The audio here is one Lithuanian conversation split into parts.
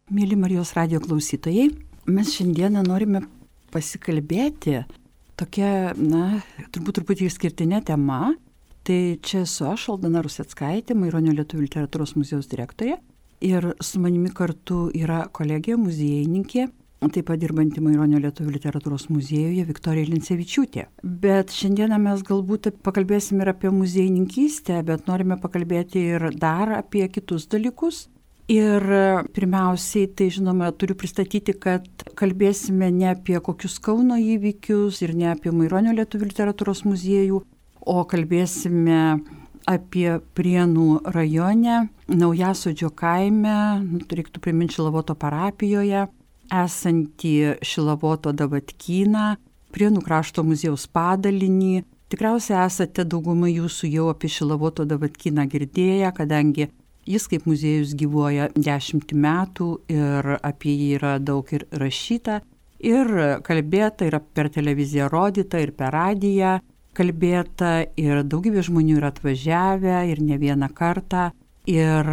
Mėly Marijos radijo klausytojai, mes šiandieną norime pasikalbėti tokia, turbūt truputį išskirtinė tema. Tai čia esu aš, Aldona Ruseckaitė, Maironio lietuvių literatūros muziejaus direktorė. Ir su manimi kartu yra kolegė, muziejininkė, taip pat dirbanti Maironio lietuvių literatūros muziejuje Viktorija Lincevičiūtė. Bet šiandieną mes galbūt pakalbėsim ir apie muziejininkystę, bet norime pakalbėti ir dar apie kitus dalykus. Ir pirmiausiai, tai žinoma, turiu pristatyti, kad kalbėsime ne apie kokius Kauno įvykius ir ne apie Maironio lietuvių literatūros muziejų, o kalbėsime apie Prienų rajone, Naujasodžio kaime, reiktų priminti Šilavoto parapijoje, esantį Šilavoto Davatkyną, Prienų krašto muziejaus padalinį. Tikriausiai esate dauguma jūsų jau apie Šilavoto Davatkyną girdėję, kadangi jis kaip muziejus gyvuoja 10 metų ir apie jį yra daug ir rašyta, ir kalbėta, ir per televiziją rodyta, ir per radiją kalbėta, ir daugybė žmonių yra atvažiavę, ir ne vieną kartą. Ir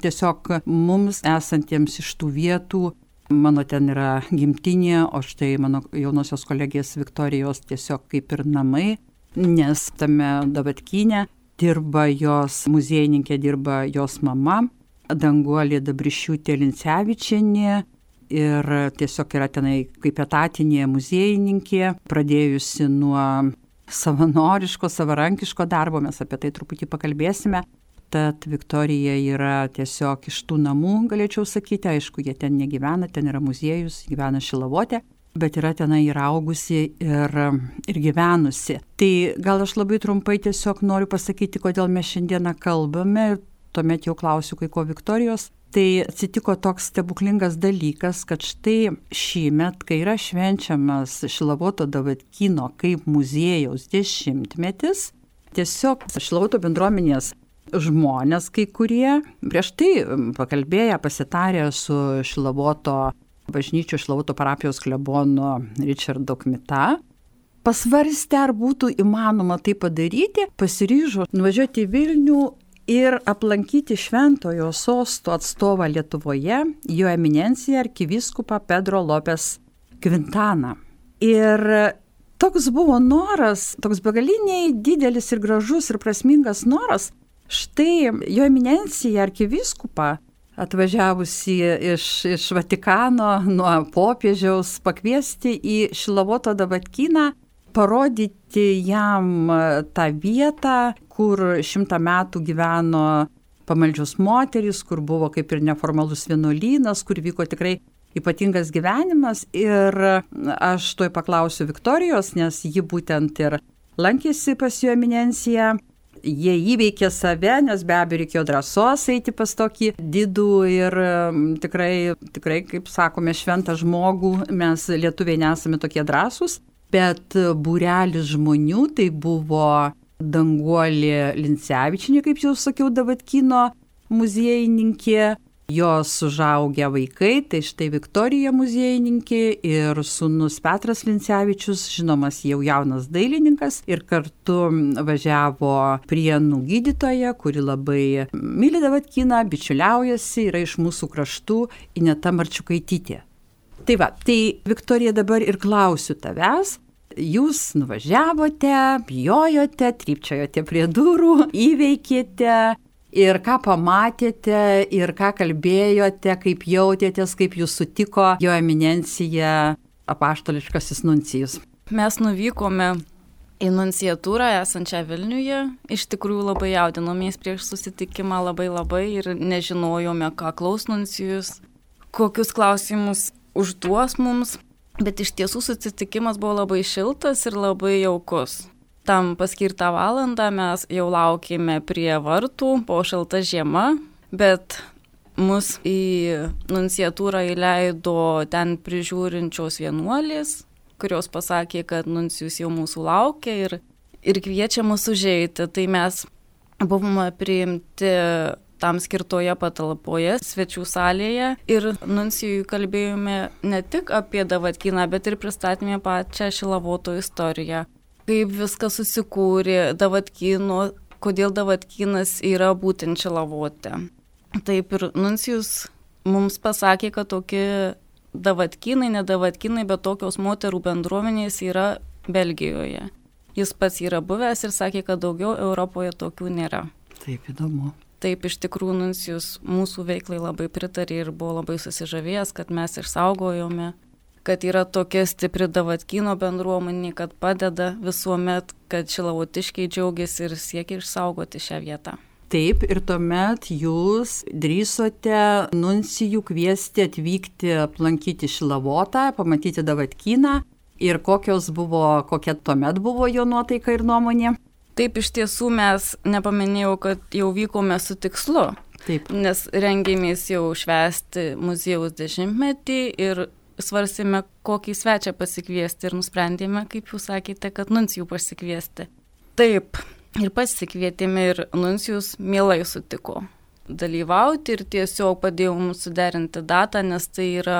tiesiog mums esantiems iš tų vietų, mano ten yra gimtinė, o štai mano jaunosios kolegės Viktorijos tiesiog kaip ir namai, nes tame Davatkyne dirba jos muziejininkė, dirba jos mama, Danguolė Dabrišiūtė Lincevičienė, ir tiesiog yra tenai kaip etatinė muziejininkė, pradėjusi nuo savanoriško, savarankiško darbo, mes apie tai truputį pakalbėsime. Tad Viktorija yra tiesiog iš tų namų, galėčiau sakyti, aišku, jie ten negyvena, ten yra muziejus, gyvena Šilavote, bet yra tenai ir augusi ir gyvenusi. Tai gal aš labai trumpai tiesiog noriu pasakyti, kodėl mes šiandieną kalbame, ir tuomet jau klausiu kai ko Viktorijos. Tai atsitiko toks stebuklingas dalykas, kad štai šįmet, kai yra švenčiamas Šilavoto Davatkyno kaip muziejaus 10-metis, tiesiog Šilavoto bendruomenės žmonės kai kurie, prieš tai pakalbėję, pasitarę su Šilavoto bažnyčių Šilavoto parapijos klebonu Richardu Kmita, pasvarstė, ar būtų įmanoma tai padaryti, pasiryžo nuvažiuoti į Vilnių ir aplankyti Šventojo sosto atstovą Lietuvoje, jo eminenciją arkivyskupą Pedro Lopes Quintaną. Ir toks buvo noras, toks begaliniai didelis ir gražus ir prasmingas noras, štai jo eminencija arkivyskupą atvažiavusi iš Vatikano nuo popiežiaus pakviesti į Šilavoto Davatkyną, parodyti jam tą vietą, kur 100 metų gyveno pamaldžios moterys, kur buvo kaip ir neformalus vienuolynas, kur vyko tikrai ypatingas gyvenimas. Ir aš tuoj paklausiu Viktorijos, nes ji būtent ir lankėsi pas jo eminenciją. Jie įveikė save, nes be abejo reikėjo drąsos eiti pas tokį didų ir tikrai, kaip sakome, šventą žmogų. Mes lietuviai nesame tokie drąsūs, bet būrelis žmonių, tai buvo Danguolė Lincevičienė, kaip jau sakiau, Davatkyno muziejininkė, jos užaugę vaikai, tai štai Viktorija muziejininkė ir sūnus Petras Lincevičius, žinomas jau jaunas dailininkas, ir kartu važiavo Prienų gydytoja, kuri labai myli Davatkyną, bičiuliaujasi, yra iš mūsų kraštų, Ineta Marčiukaitytė. Tai Viktorija, dabar ir klausiu tavęs. Jūs nuvažiavote, bijojote, trypčiojote prie durų, įveikėte. Ir ką pamatėte, ir ką kalbėjote, kaip jautėtės, kaip jūs sutiko jo eminencija apaštališkasis nuncijus. Mes nuvykome į nunciatūrą esančią Vilniuje. Iš tikrųjų labai jaudinomės prieš susitikimą labai ir nežinojome, ką klaus nuncijus, kokius klausimus užduos mums. Bet iš tiesų susitikimas buvo labai šiltas ir labai jaukus. Tam paskirtą valandą mes jau laukėme prie vartų po šalta žiema, bet mus į nunciatūrą įleido ten prižiūrinčios vienuolės, kurios pasakė, kad nuncijus jau mūsų laukia ir kviečia mus užeiti. Tai mes buvome priimti tam skirtoje patalpoje, svečių salėje, ir nuncijui kalbėjome ne tik apie Davatkyną, bet ir pristatėme pačią Šilavoto istoriją. Kaip viskas susikūrė Davatkyno, kodėl Davatkynas yra būtent Šilavote. Taip ir nuncijus mums pasakė, kad tokie davatkynai, ne davatkynai, bet tokios moterų bendruomenės yra Belgijoje. Jis pats yra buvęs ir sakė, kad daugiau Europoje tokių nėra. Taip, įdomu. Taip, iš tikrųjų, nuncijus mūsų veiklai labai pritarė ir buvo labai susižavėjęs, kad mes išsaugojome, kad yra tokia stipri davatkyno bendruomenė, kad padeda visuomet, kad šilavotiškiai džiaugiasi ir siekia išsaugoti šią vietą. Taip, ir tuomet jūs drįsote nuncijų kviesti atvykti aplankyti Šilavotą, pamatyti davatkyną ir kokia tuomet buvo jo nuotaika ir nuomonė. Taip, iš tiesų mes nepaminėjau, kad jau vykome su tikslu. Taip. Nes rengėmės jau švęsti muziejaus 10-metį ir svarsime, kokį svečią pasikviesti ir nusprendėme, kaip jūs sakėte, kad nuncijų pasikviesti. Taip. Ir pasikvietėme ir nuncijus mielai sutiko dalyvauti ir tiesiog padėjo mums suderinti datą, nes tai yra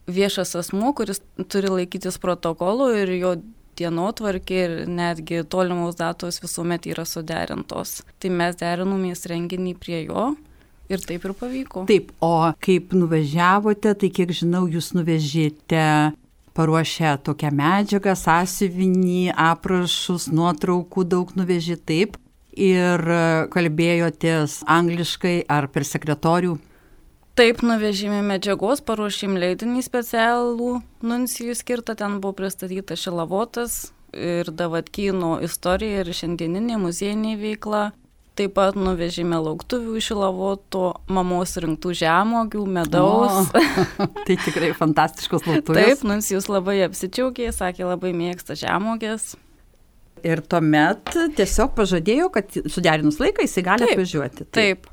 viešas asmuo, kuris turi laikytis protokolų ir jo dienotvarkė ir netgi tolimos datos visuomet yra suderintos. Tai mes derinomės renginį prie jo ir taip ir pavyko. Taip, o kaip nuvažiavote, tai kiek žinau, jūs nuvežėte paruošę tokią medžiagą, sąsiuvinį, aprašus, nuotraukų daug nuvežė, taip, ir kalbėjotės angliškai ar per sekretorių? Taip, nuvežėme medžiagos, paruošėm leidinį specialų nuncijų skirtą, ten buvo pristatyta Šilavotas ir davatkyno istorija ir šiandieninė muziejinė veikla. Taip pat nuvežėme lauktuvių iš Šilavoto, mamos rinktų žemuogių, medaus. Tai tikrai fantastiškos lauktuvės. Taip, nuncijus labai apsidžiaugė, sakė, labai mėgsta žemuogės. Ir tuomet tiesiog pažadėjo, kad suderinus laiką jisai gali atvažiuoti. Taip.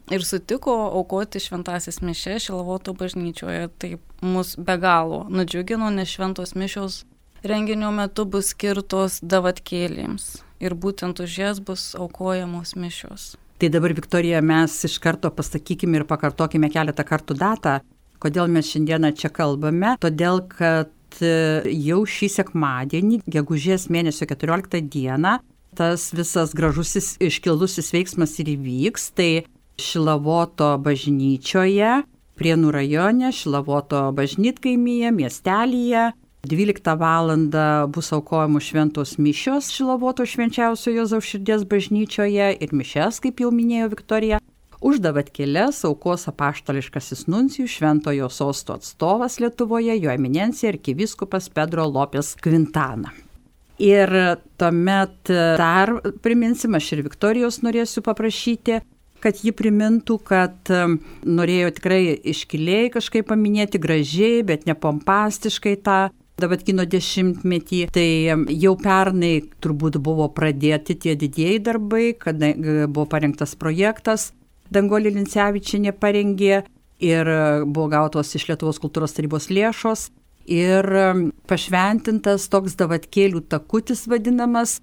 Ir sutiko aukoti šventasis mišias Šilavoto bažnyčioje. Taip, mus be galo nudžiugino, nes šventos mišios renginio metu bus skirtos davatkėlėms. Ir būtent už jas bus aukojamos mišios. Tai dabar, Viktorija, mes iš karto pasakykime ir pakartokime keletą kartų datą, kodėl mes šiandieną čia kalbame. Todėl, kad jau šį sekmadienį, gegužės mėnesio 14 dieną, tas visas gražusis iškilusis veiksmas ir įvyks. Tai Šilavoto bažnyčioje, Prienų rajone, Šilavoto bažnytkaimyje, miestelyje. 12 valandą bus aukojamos šventos mišios Šilavoto švenčiausiojo Jėzaus širdies bažnyčioje ir mišias, kaip jau minėjo Viktorija. Už davatkėles aukos apaštališkasis nuncijus Šventojo sosto atstovas Lietuvoje, jo eminencija arkivyskupas Pedro Lopes Quintana. Ir tuomet dar priminsim, aš ir Viktorijos norėsiu paprašyti, kad ji primintų, kad norėjo tikrai iškiliai kažkaip paminėti gražiai, bet ne pompastiškai tą davatkyno 10-metį. Tai jau pernai turbūt buvo pradėti tie didieji darbai, kada buvo parengtas projektas, Danguolė Lincevičienė parengė ir buvo gautos iš Lietuvos kultūros tarybos lėšos ir pašventintas toks davatkėlių takutis vadinamas.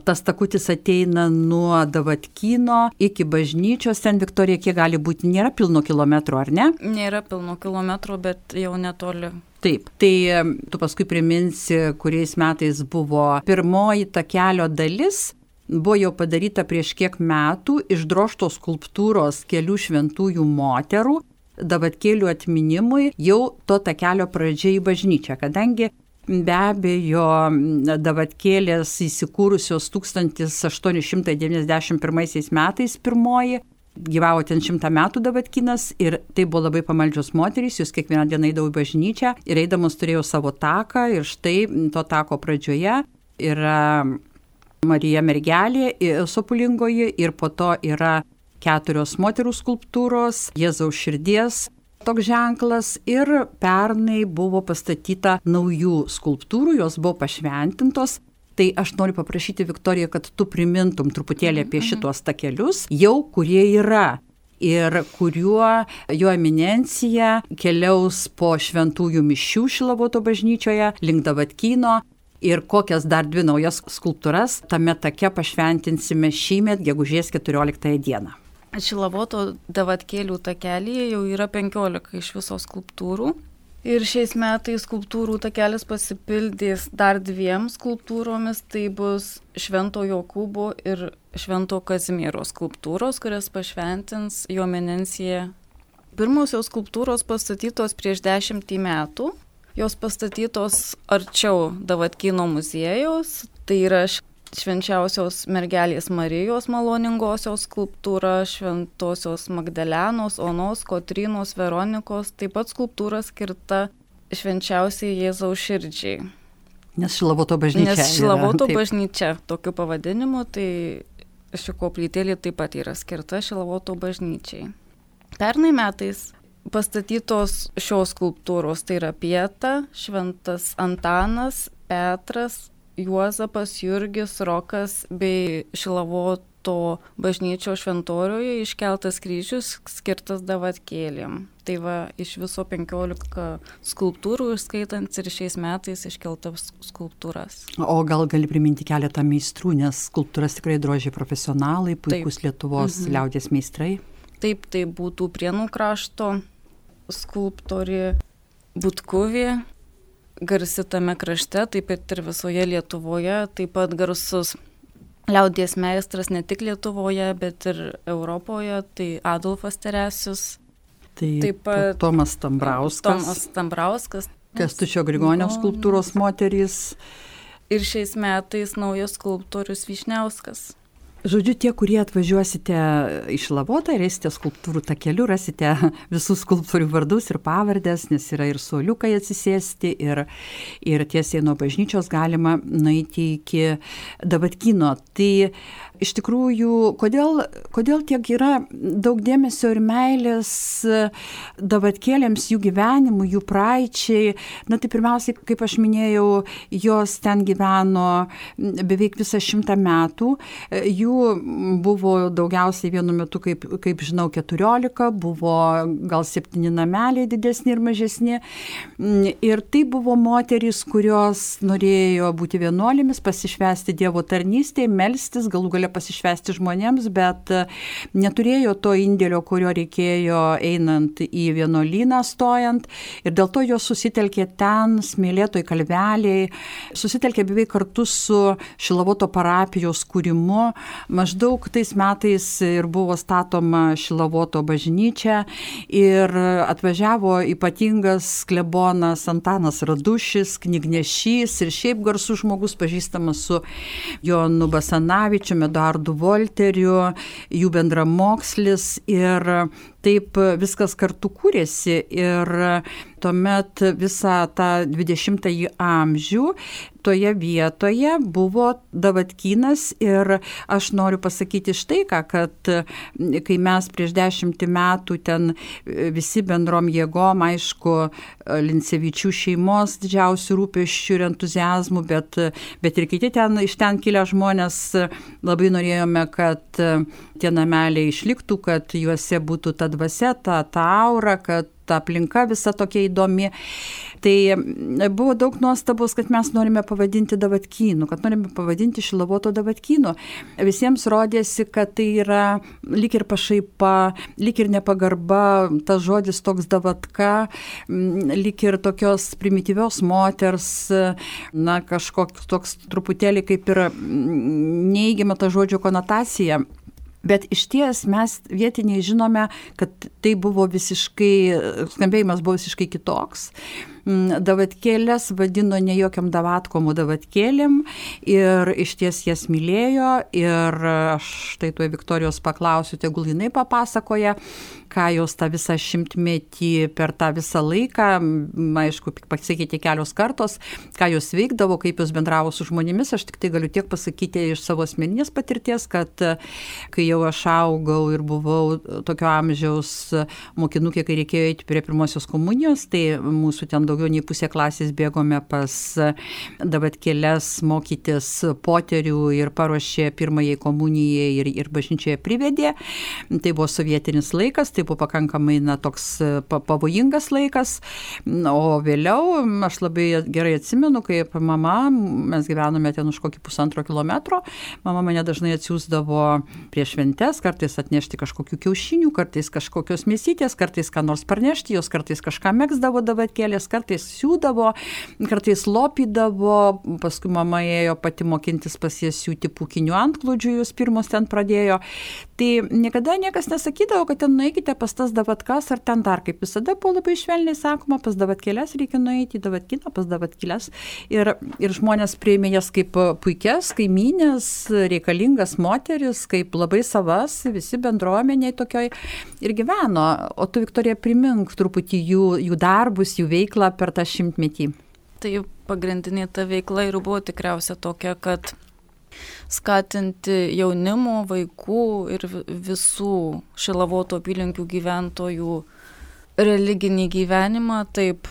Tas takutis ateina nuo davatkyno iki bažnyčios. Ten, Viktorija, kiek gali būti, nėra pilno kilometro, ar ne? Nėra pilno kilometro, bet jau netoli. Taip, tai tu paskui priminsi, kuriais metais buvo pirmoji takelio dalis. Buvo jau padaryta prieš kiek metų išdrožtos skulptūros kelių šventųjų moterų davatkėlių atminimui jau to takelio pradžia į bažnyčią, kadangi be abejo davatkėlės įsikūrusios 1891 metais pirmoji, gyvavo ten 100 metų davatkynas ir tai buvo labai pamaldžios moterys, jūs kiekvieną dieną eidavo į bažnyčią ir eidamos turėjo savo taką ir štai to tako pradžioje yra Marija Mergelė Sopulingoji ir po to yra 4 moterų skulptūros, Jėzaus širdies toks ženklas ir pernai buvo pastatyta naujų skulptūrų, jos buvo pašventintos. Tai aš noriu paprašyti, Viktorija, kad tu primintum truputėlį apie šitos takelius, jau kurie yra ir kuriuo jo eminencija keliaus po šventųjų mišių Šilavoto bažnyčioje link davatkyno ir kokias dar 2 naujas skulptūras tame take pašventinsime šįmet gegužės 14 dieną. Šilavoto davatkėlių takelyje jau yra 15 iš viso skulptūrų. Ir šiais metais skulptūrų takelis pasipildys dar 2 skulptūromis. Tai bus Švento Jokūbo ir Švento Kazimiero skulptūros, kurias pašventins jo eminencija Pirmosios skulptūros pastatytos prieš 10 metų. Jos pastatytos arčiau Davatkino muziejaus. Tai yra Švenčiausios mergelės Marijos maloningosios skulptūra, Šventosios Magdalenos, Onos, Kotrynos, Veronikos, taip pat skulptūra skirta Švenčiausiai Jėzaus širdžiai. Nes Šilavoto bažnyčia. Nes Šilavoto bažnyčia, tokiu pavadinimu, tai ši koplytėlė taip pat yra skirta Šilavoto bažnyčiai. Pernai metais pastatytos šios skulptūros, tai yra Pieta, Šventas Antanas, Petras, Juozapas, Jurgis, Rokas bei Šilavoto bažnyčios šventoriuje iškeltas kryžius skirtas Davatkėlėm. Tai va, iš viso 15 skulptūrų, išskaitant ir šiais metais iškeltas skulptūras. O gal gali priminti keletą meistrų, nes skulptūras tikrai drožė profesionalai, puikus Lietuvos liaudies meistrai. Taip, tai būtų Prienų krašto skulptorė Butkuvė, garsi tame krašte, taip pat ir visoje Lietuvoje, taip pat garsus liaudies meistras ne tik Lietuvoje, bet ir Europoje, tai Adolfas Teresius. Taip pat Tomas Tambrauskas. Kęstučio Grigonio skulptūros moterys. Ir šiais metais naujas skulptorius Vyšniauskas. Žodžiu, tie, kurie atvažiuosite į Šilavotą ir eisite skulptūrų takeliu, rasite visų skulptorių vardus ir pavardės, nes yra ir suoliukai atsisėsti, ir tiesiai nuo bažnyčios galima nueiti iki Davatkino. Tai iš tikrųjų, kodėl tiek yra daug dėmesio ir meilės Davatkėlėms, jų gyvenimui, jų praeičiai? Na tai pirmiausiai, kaip aš minėjau, jos ten gyveno beveik visą 100 metų. Jų buvo daugiausiai vienu metu, kaip žinau, 14, buvo gal 7 nameliai didesni ir mažesni. Ir tai buvo moterys, kurios norėjo būti vienuolėmis, pasišvęsti Dievo tarnystėje, melstis, galų gale pasišvęsti žmonėms, bet neturėjo to indėlio, kurio reikėjo einant į vienuolyną stojant. Ir dėl to jos susitelkė ten, Smėlėtoj kalvelėj, susitelkė beveik kartu su Šilavoto parapijos kūrimu. Maždaug tais metais ir buvo statoma Šilavoto bažnyčia ir atvažiavo ypatingas klebonas Antanas Radušis, knygnešys ir šiaip garsus žmogus, pažįstamas su Jonu Basanavičiumi, Eduardu Volteriu, jų bendramokslis, ir taip viskas kartu kūrėsi. Ir tuomet visą tą 20-ąjį amžių toje vietoje buvo Davatkynas. Ir aš noriu pasakyti štai ką, kad kai mes prieš 10 metų ten visi bendrom jėgom, aišku, Lincevičių šeimos didžiausių rūpesčių ir entuzijazmų, bet ir kiti iš ten kilę žmonės, labai norėjome, kad tie nameliai išliktų, kad juose būtų ta dvasia, ta aura, kad ta aplinka visa tokia įdomi. Tai buvo daug nuostabos, kad mes norime pavadinti Davatkynu, kad norime pavadinti Šilavoto Davatkynu. Visiems rodėsi, kad tai yra lyg ir pašaipa, lyg ir nepagarba, tas žodis toks Davatka, lyg ir tokios primityvios moters, na, kažkoks toks truputėlį kaip ir neigiama ta žodžio konotacija. Bet iš ties mes vietiniai žinome, kad tai buvo skambėjimas buvo visiškai kitoks. Davatkėlės vadino ne jokiam Davatkom, o Davatkėlėm, ir iš ties jas mylėjo. Ir aš tai tuoj Viktorijos paklausiu, tegul jinai papasakoja, ką jos tą visą 100-metį per tą visą laiką, aišku, pasikeitė kelios kartos, ką jos veikdavo, kaip jos bendravo su žmonėmis. Aš tik tai galiu tiek pasakyti iš savo asmeninės patirties, kad kai jau aš augau ir buvau tokio amžiaus mokinukė, kai reikėjo eiti prie pirmosios komunijos, tai mūsų ten daugiau nei pusė klasės bėgome pas Davatkėles mokytis poterių ir paruošė pirmajai komunijai ir bažnyčioje privedė. Tai buvo sovietinis laikas, tai buvo pakankamai toks pavojingas laikas. O vėliau aš labai gerai atsimenu, kaip mama, mes gyvenome ten už kokį 1,5 kilometro, mama mane dažnai atsiųsdavo prie šventes, kartais atnešti kažkokių kiaušinių, kartais kažkokios mėsytės, kartais ką nors parnešti, jos kartais kažką megzdavo Davatkėlės, kartais siūdavo, kartais lopydavo, paskui mama ėjo pati mokintis pas jas siūti pūkinių antklodžių, jūs pirmos ten pradėjo. Tai niekada niekas nesakydavo, kad ten nueikite pas tas davatkas ar ten dar, kaip visada buvo labai švelniai sakoma, pas davatkėlės reikia nueiti, į davatkiną, pas davatkėlės. Ir žmonės priėmė jas kaip puikias, kaimynės, reikalingas moteris, kaip labai savas, visi bendruomeniai tokioj ir gyveno. O tu, Viktorija, primink truputį jų darbus, jų veiklą per tą 100-metį. Tai pagrindinė ta veikla ir buvo tikriausia tokia, kad skatinti jaunimo, vaikų ir visų Šilavoto apylinkių gyventojų religinį gyvenimą, taip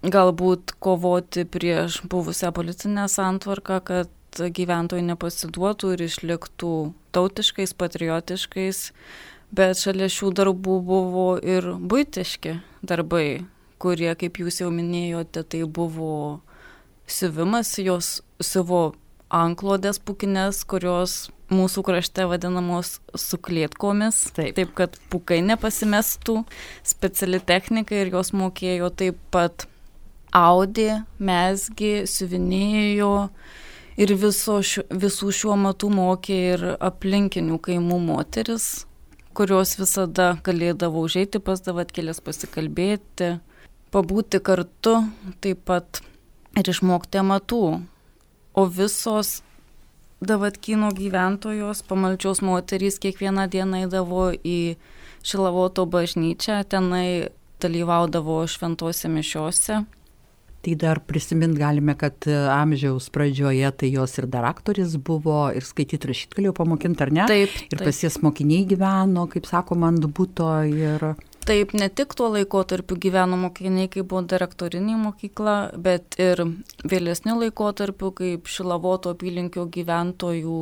galbūt kovoti prieš buvusią politinę santvarką, kad gyventojai nepasiduotų ir išliktų tautiškais, patriotiškais, bet šalia šių darbų buvo ir buitiški darbai, kurie, kaip jūs jau minėjote, tai buvo siuvimas, jos siuvo anklodės pūkinės, kurios mūsų krašte vadinamos suklėtkomis, taip kad pūkai nepasimestų, speciali technika ir jos mokėjo taip pat audė, mezgė, siuvinėjo ir visų šiuo metu mokė ir aplinkinių kaimų moteris, kurios visada galėdavo užeiti pas davatkėlės pasikalbėti, pabūti kartu, taip pat ir išmokti amatų. O visos Davatkyno gyventojos, pamaldžios moterys kiekvieną dieną eidavo į Šilavoto bažnyčią, tenai dalyvaudavo šventose mišiose. Tai dar prisimint galime, kad amžiaus pradžioje tai jos ir dar aktoris buvo, ir skaityti rašyti galėjo pamokinti, ar ne? Taip. Ir pas jas mokiniai gyveno, kaip sakoma, ant buto ir... Taip, ne tik tuo laikotarpiu gyveno mokiniai, kai buvo direktorinė mokykla, bet ir vėlesniu laikotarpiu, kaip Šilavoto apylinkių gyventojų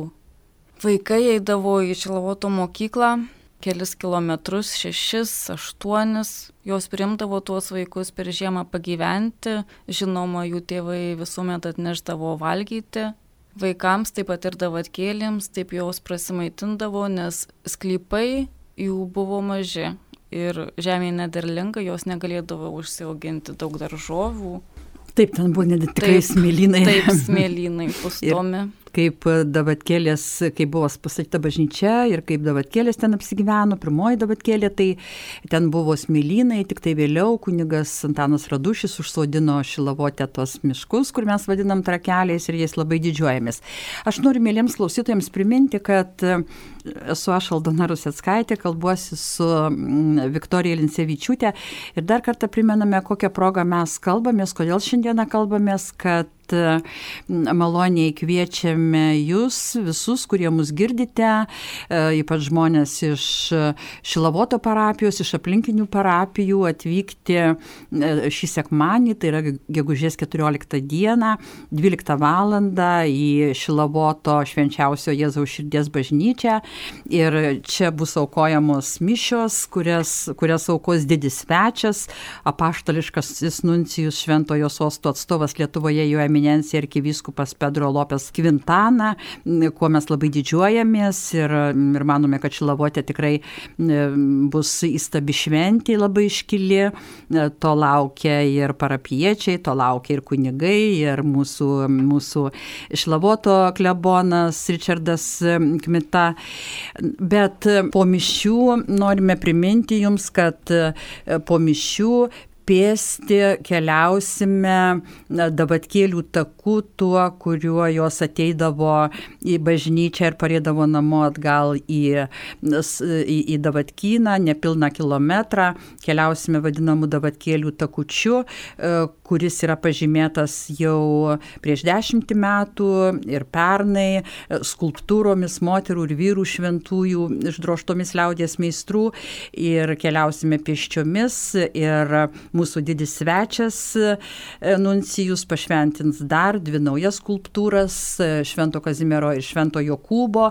vaikai eidavo į Šilavoto mokyklą, kelis kilometrus, 6, 8, jos priimdavo tuos vaikus per žiemą pagyventi, žinoma, jų tėvai visuomet atneždavo valgyti. Vaikams taip pat ir davatkėlėms, taip jos prasimaitindavo, nes sklypai jų buvo maži. Ir žemė nederlinga, jos negalėdavo užsiauginti daug daržovių. Taip, ten buvo tikrai smėlynai. Taip, smėlynai pustomi. Kaip davatkėlės, kai buvo pastatyta bažnyčia ir kaip davatkėlės ten apsigyveno, pirmoji davatkėlė, tai ten buvo smėlynai, tik tai vėliau kunigas Antanas Radušis užsodino Šilavote tos miškus, kur mes vadinam trakeliais ir jais labai didžiuojamės. Aš noriu mėlyms klausytojams priminti, kad esu aš Aldona Ruseckaitė, kalbuosi su Viktorija Lincevičiūtė ir dar kartą primename, kokią progą mes kalbamės, kodėl šiandieną kalbamės, kad maloniai kviečiame jūs visus, kurie mus girdite, ypač žmonės iš Šilavoto parapijos, iš aplinkinių parapijų atvykti šį sekmanį, tai yra gegužės 14 dieną, 12 valandą į Šilavoto švenčiausio Jėzaus širdies bažnyčią ir čia bus aukojamos mišios, kurias aukos didis svečias, apaštališkasis nuncijus Šventojo sosto atstovas Lietuvoje jo eminencija arkivyskupas Pedro Lopes Quintana, kuo mes labai didžiuojamės ir manome, kad Šilavote tikrai bus įstabi šventė labai iškili, to laukia ir parapiečiai, to laukia ir kunigai, ir mūsų Šilavoto klebonas Richardas Kmita. Bet po mišių norime priminti jums, kad po mišių pėsti keliausime davatkėlių taku tuo, kuriuo jos ateidavo į bažnyčią ir parėdavo namo atgal į Davatkyną, nepilną kilometrą. Keliausime vadinamų davatkėlių takučiu, kuris yra pažymėtas jau prieš 10 metų ir pernai skulptūromis moterų ir vyrų šventųjų išdrožtomis liaudies meistrų ir keliausime pėsčiomis ir mūsų didis svečias nuncijus pašventins dar 2 naujas skulptūras Švento Kazimiero ir Švento Jokūbo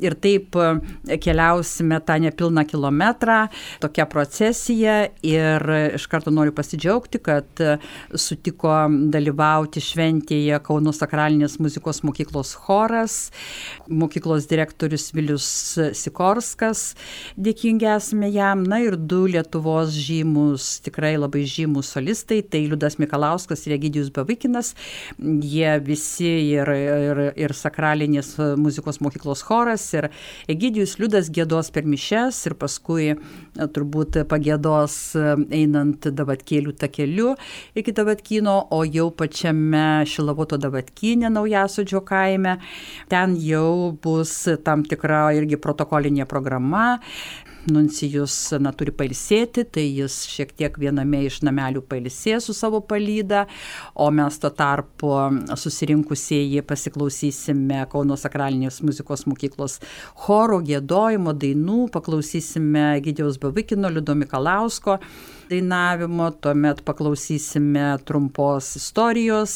ir taip keliausime tą nepilną kilometrą, tokia procesija ir iš karto noriu pasidžiaugti, kad sutiko dalyvauti šventėje Kauno sakralinės muzikos mokyklos choras, mokyklos direktorius Vilius Sikorskas, dėkingi esame jam, na ir 2 Lietuvos žymus, tikrai labai žymūs solistai, tai Liudas Mikalauskas ir Egidijus Bavikinas. Jie visi ir sakralinės muzikos mokyklos choras, ir Egidijus Liudas giedos per mišias ir paskui turbūt pagiedos einant Davatkėlių takeliu iki Davatkyno, o jau pačiame Šilavoto Davatkyne Naujasodžio kaime. Ten jau bus tam tikra irgi protokolinė programa. Nuncijus turi pailsėti, tai jis šiek tiek viename iš namelių pailsės su savo palyda, o mes tuo tarpu susirinkusieji pasiklausysime Kauno sakralinės muzikos mokyklos choro, giedojimo, dainų, paklausysime Egidijaus Bavikino, Liudo Mikalausko dainavimo, tuomet paklausysime trumpos istorijos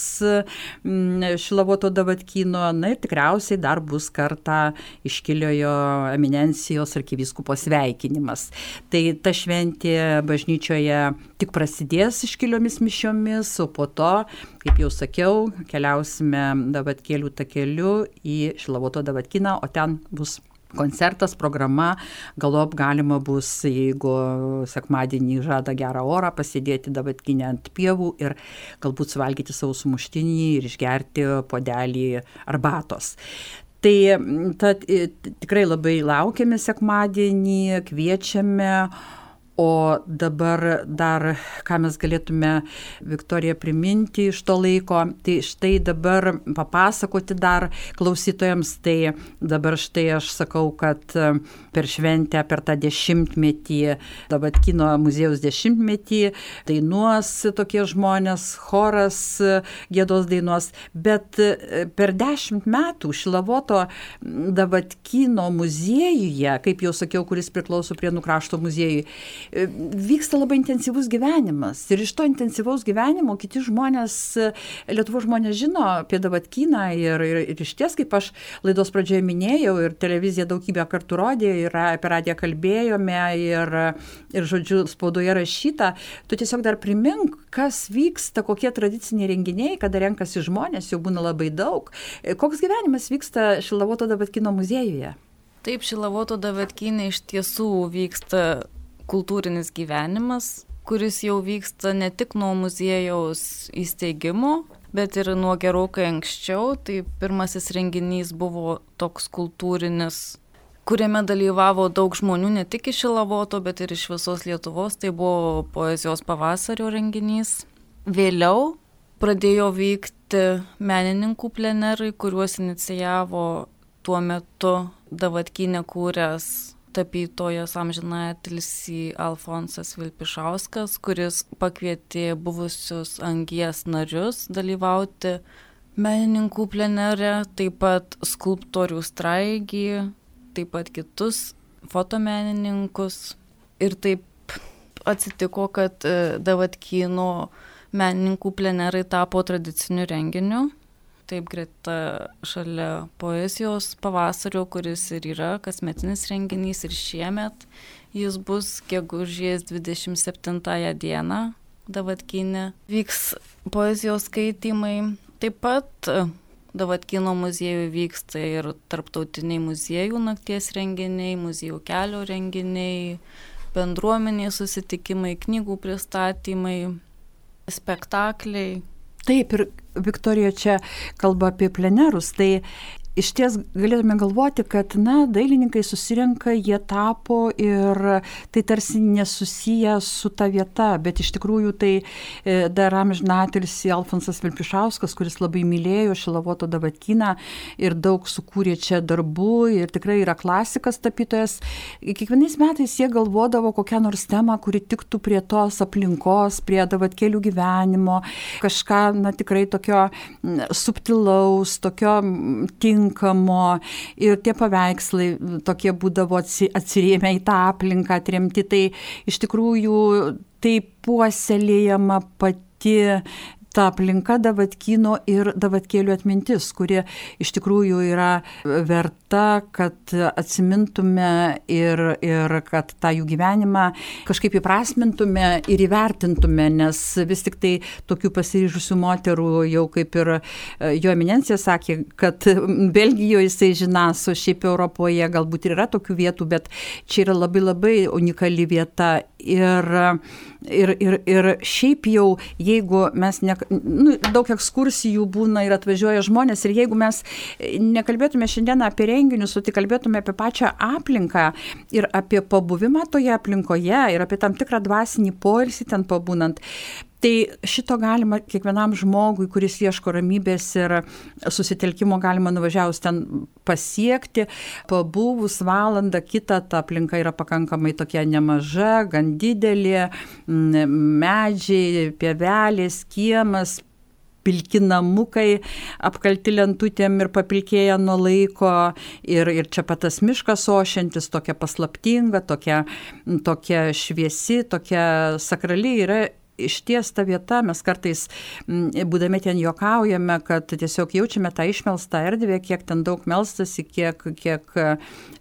Šilavoto Davatkyno, na ir tikriausiai dar bus kartą iškiliojo eminencijos arkivyskupo sveikinimas. Tai ta šventė bažnyčioje tik prasidės iškiliomis mišiomis, o po to, kaip jau sakiau, keliausime Davatkėlių takeliu į Šilavoto Davatkyną, o ten bus koncertas, programa, galop galima bus, jeigu sekmadienį žada gerą orą, pasėdėti Davatkyne ant pievų ir galbūt suvalgyti savo sumuštinį ir išgerti puodelį arbatos. Tai tikrai labai laukiame sekmadienį, kviečiame. O dabar dar, ką mes galėtume, Viktorija, priminti iš to laiko, tai štai dabar papasakoti dar klausytojams, tai dabar štai aš sakau, kad per šventę, per tą 10-metį, Davatkyno muziejaus 10-metį, dainuos tokie žmonės, choras giedos dainuos, bet per 10 metų Šilavoto Davatkyno muziejuje, kaip jau sakiau, kuris priklauso Prienų krašto muziejui, vyksta labai intensyvus gyvenimas. Ir iš to intensyvaus gyvenimo kiti žmonės, Lietuvos žmonės žino apie Davatkyną ir iš ties, kaip aš laidos pradžioje minėjau, ir televizija daugybę kartų rodė, ir apie radiją kalbėjome, ir žodžiu, spaudoje rašyta. Tu tiesiog dar primink, kas vyksta, kokie tradiciniai renginiai, kada renkasi žmonės, jau būna labai daug. Koks gyvenimas vyksta Šilavoto Davatkyno muziejuje? Taip, Šilavoto Davatkyne iš tiesų vyksta kultūrinis gyvenimas, kuris jau vyksta ne tik nuo muziejaus įsteigimo, bet ir nuo gerokai anksčiau. Tai pirmasis renginys buvo toks kultūrinis, kuriame dalyvavo daug žmonių ne tik iš Šilavoto, bet ir iš visos Lietuvos. Tai buvo poezijos pavasario renginys. Vėliau pradėjo vykti menininkų plenerai, kuriuos inicijavo tuo metu Davatkyne kūręs tapytojas amžinatilsį Alfonsas Vilpišauskas, kuris pakvietė buvusius Angies narius dalyvauti menininkų plenere, taip pat skulptorių Straigį, taip pat kitus fotomenininkus. Ir taip atsitiko, kad Davatkyno menininkų plenerai tapo tradiciniu renginiu. Taip greta šalia poezijos pavasario, kuris ir yra kasmetinis renginys, ir šiemet jis bus gegužės 27 dieną Davatkyne. Vyks poezijos skaitymai. Taip pat Davatkyno muziejuje vyksta ir tarptautiniai muziejų nakties renginiai, muziejų kelio renginiai, bendruomenės susitikimai, knygų pristatymai, spektakliai. Taip, ir Viktorija čia kalba apie plenerus, tai iš ties galėtume galvoti, kad dailininkai susirenka, jie tapo ir tai tarsi nesusiję su ta vieta, bet iš tikrųjų tai dar amžinatilsį Alfonsas Vilpišauskas, kuris labai mylėjo Šilavoto Davatkyną ir daug sukūrė čia darbų ir tikrai yra klasikas tapytojas. Kiekvienais metais jie galvodavo kokią nors temą, kuri tiktų prie tos aplinkos, prie Davatkėlių gyvenimo, kažką tikrai tokio subtilaus, tokio tinkamo, ir tie paveikslai tokie būdavo atsirėmę į tą aplinką, atremti. Tai iš tikrųjų tai puoselėjama pati ta aplinka Davatkyno ir Davatkėlių atmintis, kuri iš tikrųjų yra verta, kad atsimintume ir kad tą jų gyvenimą kažkaip įprasmintume ir įvertintume, nes vis tik tai tokių pasiryžusių moterų, jau kaip ir jo eminencija sakė, kad Belgijoje jisai žinas, o šiaip Europoje galbūt ir yra tokių vietų, bet čia yra labai labai unikali vieta. Ir Ir šiaip jau, jeigu mes daug ekskursijų būna ir atvažiuoja žmonės, ir jeigu mes nekalbėtume šiandien apie renginius, o tik kalbėtume apie pačią aplinką ir apie pabuvimą toje aplinkoje ir apie tam tikrą dvasinį poilsį ten pabūnant, tai šito galima kiekvienam žmogui, kuris ieško ramybės ir susitelkimo, galima nuvažiavus ten pasiekti. Pabuvus valandą kitą, ta aplinka yra pakankamai tokia nemaža, gan didelė, medžiai, pievelės, kiemas, pilki namukai, apkalti lentutėm ir papilkėję nuo laiko. Ir čia pat tas miškas ošiantis, tokia paslaptinga, tokia šviesi, tokia sakrali yra. Išties ta vieta, mes kartais, būdami ten juokaujame, kad tiesiog jaučiame tą išmelstą erdvę, kiek ten daug melstasi, kiek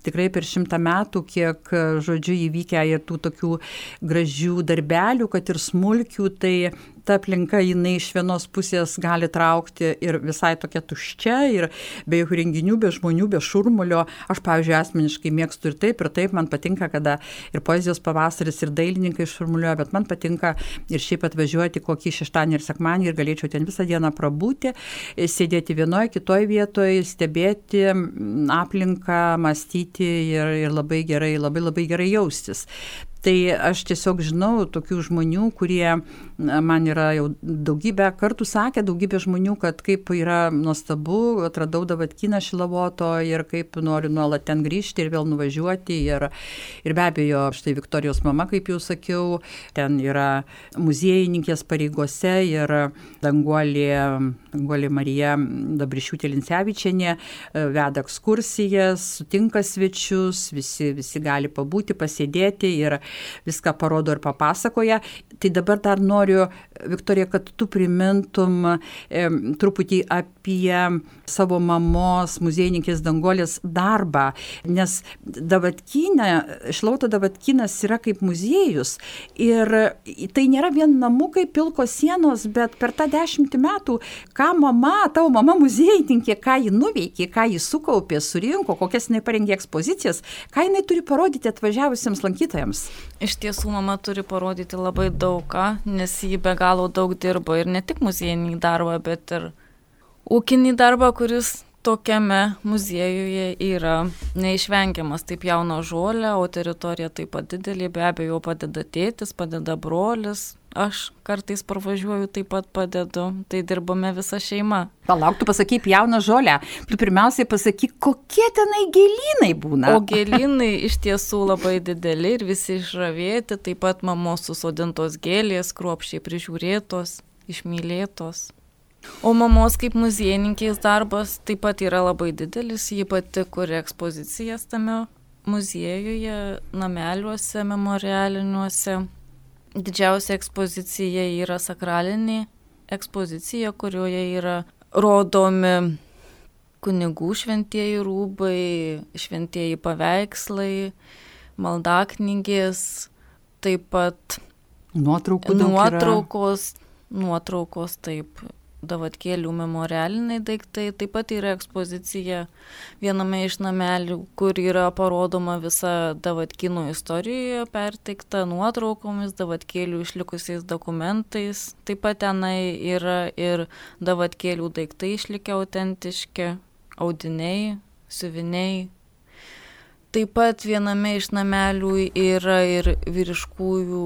tikrai per 100 metų, kiek, žodžiu, įvykę ir tų tokių gražių darbelių, kad ir smulkių, tai ta aplinka, jinai iš vienos pusės gali traukti ir visai tokia tuščia, ir be jokių renginių, be žmonių, be šurmulio. Aš, pavyzdžiui, asmeniškai mėgstu ir taip, man patinka, kada ir poezijos pavasaris, ir dailininkai šurmulioja, bet man patinka ir šiaip atvažiuoti kokį šeštadienį ir sekmadienį ir galėčiau ten visą dieną prabūti, sėdėti vienoje, kitoje vietoje, stebėti aplinką, mąstyti ir labai gerai jaustis. Tai aš tiesiog žinau tokių žmonių, kurie man yra jau daugybę kartų sakę, daugybė žmonių, kad kaip yra nuostabu, atradau Davatkyną Šilavoto ir kaip noriu nuolat ten grįžti ir vėl nuvažiuoti. Ir be abejo, štai Viktorijos mama, kaip jau sakiau, ten yra muziejininkės pareigose ir Danguolė Marija Dabrišiūtė-Lincevičienė veda ekskursijas, sutinka svečius, visi gali pabūti, pasėdėti ir viską parodo ir papasakoja. Tai dabar dar noriu, Viktorija, kad tu primintum truputį apie savo mamos, muziejininkės Danguolės darbą, nes Šilavoto Davatkynas yra kaip muziejus ir tai nėra vien namukai, pilkos sienos, bet per tą 10 metų, ką tavo mama muziejininkė, ką ji nuveikė, ką ji sukaupė, surinko, kokias jinai parengė ekspozicijas, ką jinai turi parodyti atvažiavusiems lankytojams. Iš tiesų, mama turi parodyti labai daug ką, nes ji be galo daug dirbo ir ne tik muziejinį darbą, bet ir ūkinį darbą, kuris tokiame muziejuje yra neišvengiamas. Taip jauna žolė, o teritorija taip pat didelė, be abejo padeda tėtis, padeda brolis. Aš kartais parvažiuoju, taip pat padedu, tai dirbame visa šeima. Palauk, tu pasakyk jauną žolę, tu pirmiausiai pasakyk, kokie tenai gėlynai būna. O gėlynai iš tiesų labai dideli ir visi išravėti, taip pat mamos susodintos gėlės, kruopščiai prižiūrėtos, išmylėtos. O mamos kaip muziejininkės darbas taip pat yra labai didelis, ji pati kuria ekspozicijas tame muziejuje, nameliuose, memorialiniuose. Didžiausia ekspozicija yra sakralinė ekspozicija, kurioje yra rodomi kunigų šventieji rūbai, šventieji paveikslai, maldaknygės, taip pat nuotraukos, taip, Davatkėlių memorialiniai daiktai. Taip pat yra ekspozicija viename iš namelių, kur yra parodoma visa Davatkynų istorijoje perteikta nuotraukomis, Davatkėlių išlikusiais dokumentais. Taip pat tenai yra ir Davatkėlių daiktai išlikę autentiški, audiniai, siuviniai. Taip pat viename iš namelių yra ir vyriškųjų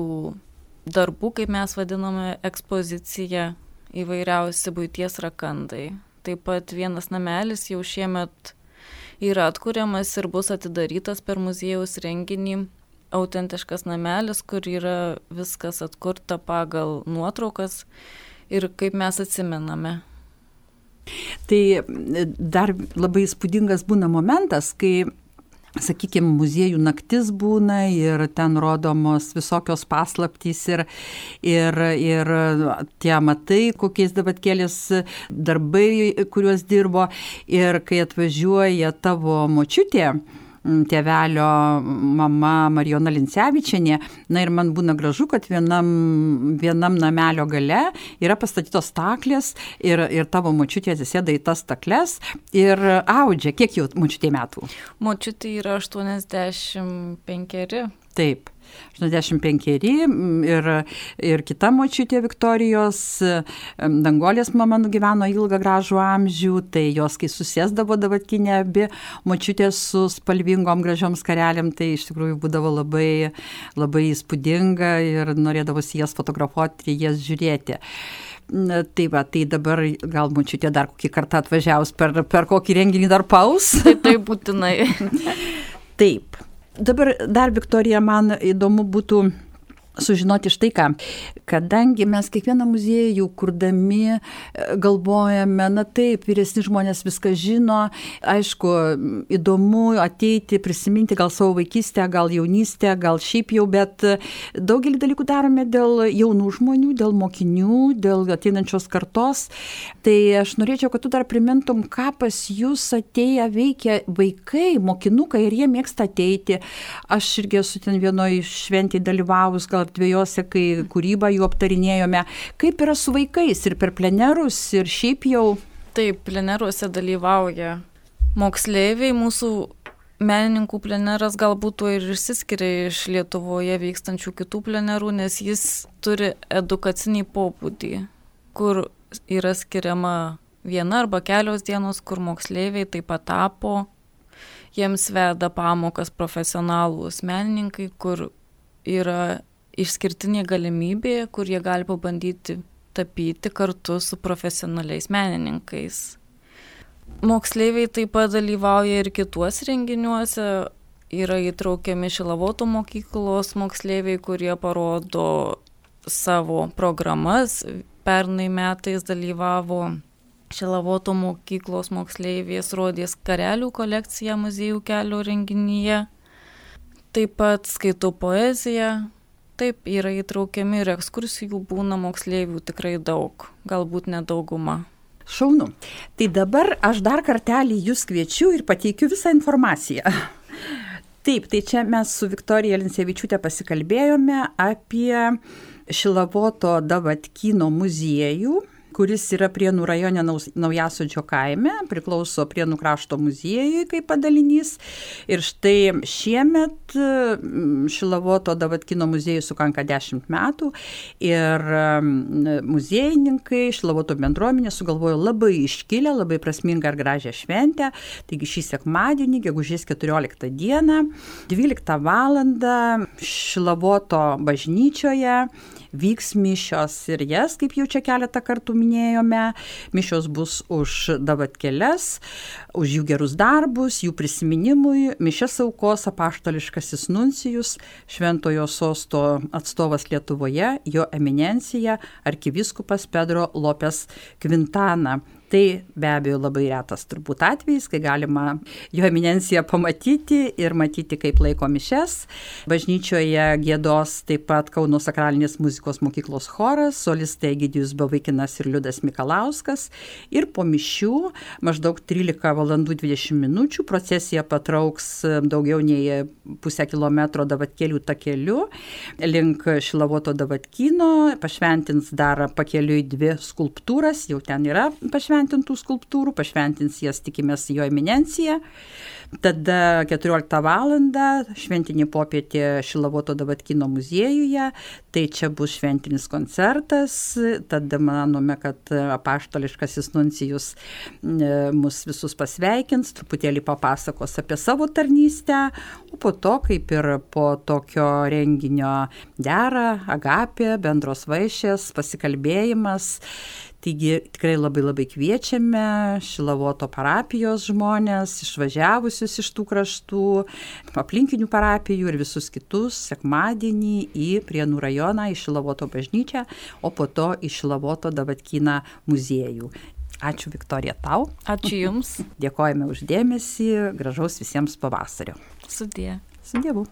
darbų, kaip mes vadiname, ekspozicija, įvairiausi buities rakandai. Taip pat vienas namelis jau šiemet yra atkuriamas ir bus atidarytas per muziejaus renginį. Autentiškas namelis, kur yra viskas atkurta pagal nuotraukas ir kaip mes atsimename. Tai dar labai įspūdingas būna momentas, kai sakykime, muziejų naktis būna ir ten rodomos visokios paslaptys ir tie amatai, kokiais Davatkėlės darbai, kuriuos dirbo. Ir kai atvažiuoja tavo močiutė, tėvelio mama Marijona Lincevičienė, na ir man būna gražu, kad vienam namelio gale yra pastatytos staklės ir tavo močiutė atsisėda į tas stakles ir audžia. Kiek jau močiutė metų? Močiutė yra 85. Taip. 85 ir kita močiutė Viktorijos, Danguolės mama nugyveno ilgą gražų amžių, tai jos, kai susėsdavo Davatkinė abi močiutės su spalvingom gražiom skarelėm, tai iš tikrųjų būdavo labai, labai įspūdinga ir norėdavosi jas fotografuoti ir jas žiūrėti. Tai va, tai dabar gal močiutė dar kokį kartą atvažiaus per kokį renginį dar paus. Tai būtinai. Taip. Dabar dar, Viktorija, man įdomu būtų sužinoti štai ką, kadangi mes kiekvieną muziejų kurdami galvojame, na taip, vyresni žmonės viską žino, aišku, įdomu ateiti, prisiminti gal savo vaikystę, gal jaunystę, gal šiaip jau, bet daugelį dalykų darome dėl jaunų žmonių, dėl mokinių, dėl ateinančios kartos. Tai aš norėčiau, kad tu dar primintum, ką pas jūs atėję veikia vaikai, mokinukai, ir jie mėgsta ateiti. Aš irgi esu ten vienoje šventėje dalyvavus, gal dviejose, kai kūrybą jų aptarinėjome. Kaip yra su vaikais ir per plenerus, ir šiaip jau? Taip, pleneruose dalyvauja moksleiviai. Mūsų menininkų pleneras galbūt tuo ir išsiskiria iš Lietuvoje vykstančių kitų plenerų, nes jis turi edukacinį pobūdį, kur yra skiriama viena arba kelios dienos, kur moksleiviai taip pat tapo. Jiems veda pamokas profesionalūs menininkai, kur yra išskirtinė galimybė, kur jie gali pabandyti tapyti kartu su profesionaliais menininkais. Moksleiviai taip pat dalyvauja ir kituose renginiuose, yra įtraukiami Šilavoto mokyklos moksleiviai, kurie parodo savo programas. Pernai metais dalyvavo Šilavoto mokyklos moksleivės, rodė skarelių kolekciją muziejų kelio renginyje. Taip pat skaitau poeziją. Taip, yra įtraukiami ir ekskursijų būna moksleivių tikrai daug, galbūt nedauguma. Šaunu. Tai dabar aš dar kartelį jūs kviečiu ir pateikiu visą informaciją. Taip, tai čia mes su Viktorija Lincevičiūtė pasikalbėjome apie Šilavoto Davatkyno muziejų, kuris yra Prienų rajone Naujasodžio kaime, priklauso Prienų krašto muziejui kaip padalinys. Ir štai šiemet Šilavoto Davatkyno muziejui sukanka 10 metų ir muziejininkai, Šilavoto bendruomenė sugalvojo labai iškilę, labai prasmingą ir gražią šventę. Taigi šį sekmadienį, gegužės 14 dieną, 12 valandą Šilavoto bažnyčioje vyks mišios ir jas, kaip jau čia keletą kartų minėjome. Mišios bus už davatkeles, už jų gerus darbus, jų prisiminimui. Mišias aukos apaštališkasis nuncijus, Šventojo sosto atstovas Lietuvoje, jo eminencija arkivyskupas Pedro Lopes Quintana. Tai be abejo labai retas turbūt atvejis, kai galima jo eminenciją pamatyti ir matyti, kaip laiko mišias. Bažnyčioje giedos taip pat Kauno sakralinės muzikos mokyklos choras, solistai Egidijus Bavaikinas ir Liudas Mikalauskas. Ir po mišių maždaug 13:20 procesija patrauks daugiau nei pusę kilometro Davatkelių takeliu link Šilavoto Davatkyno, pašventins dar pakeliui 2 skulptūras, jau ten yra pašventintų skulptūrų, pašventins jas, tikimės, jo eminencija. Tada 14 valandą šventinė popietė Šilavoto Davatkyno muziejuje, tai čia bus šventinis koncertas. Tada manome, kad apaštališkasis nuncijus mus visus pasveikins, truputėlį papasakos apie savo tarnystę, o po to, kaip ir po tokio renginio dera, agapė, bendros vaišės, pasikalbėjimas. Taigi tikrai labai labai kviečiame Šilavoto parapijos žmonės, išvažiavusius iš tų kraštų, aplinkinių parapijų ir visus kitus sekmadienį į Prienų rajoną, į Šilavoto bažnyčią, o po to į Šilavoto Davatkyną muziejų. Ačiū, Viktorija, tau. Ačiū Jums. Dėkojame už dėmesį, gražaus visiems pavasario. Sudie. Su Dievu.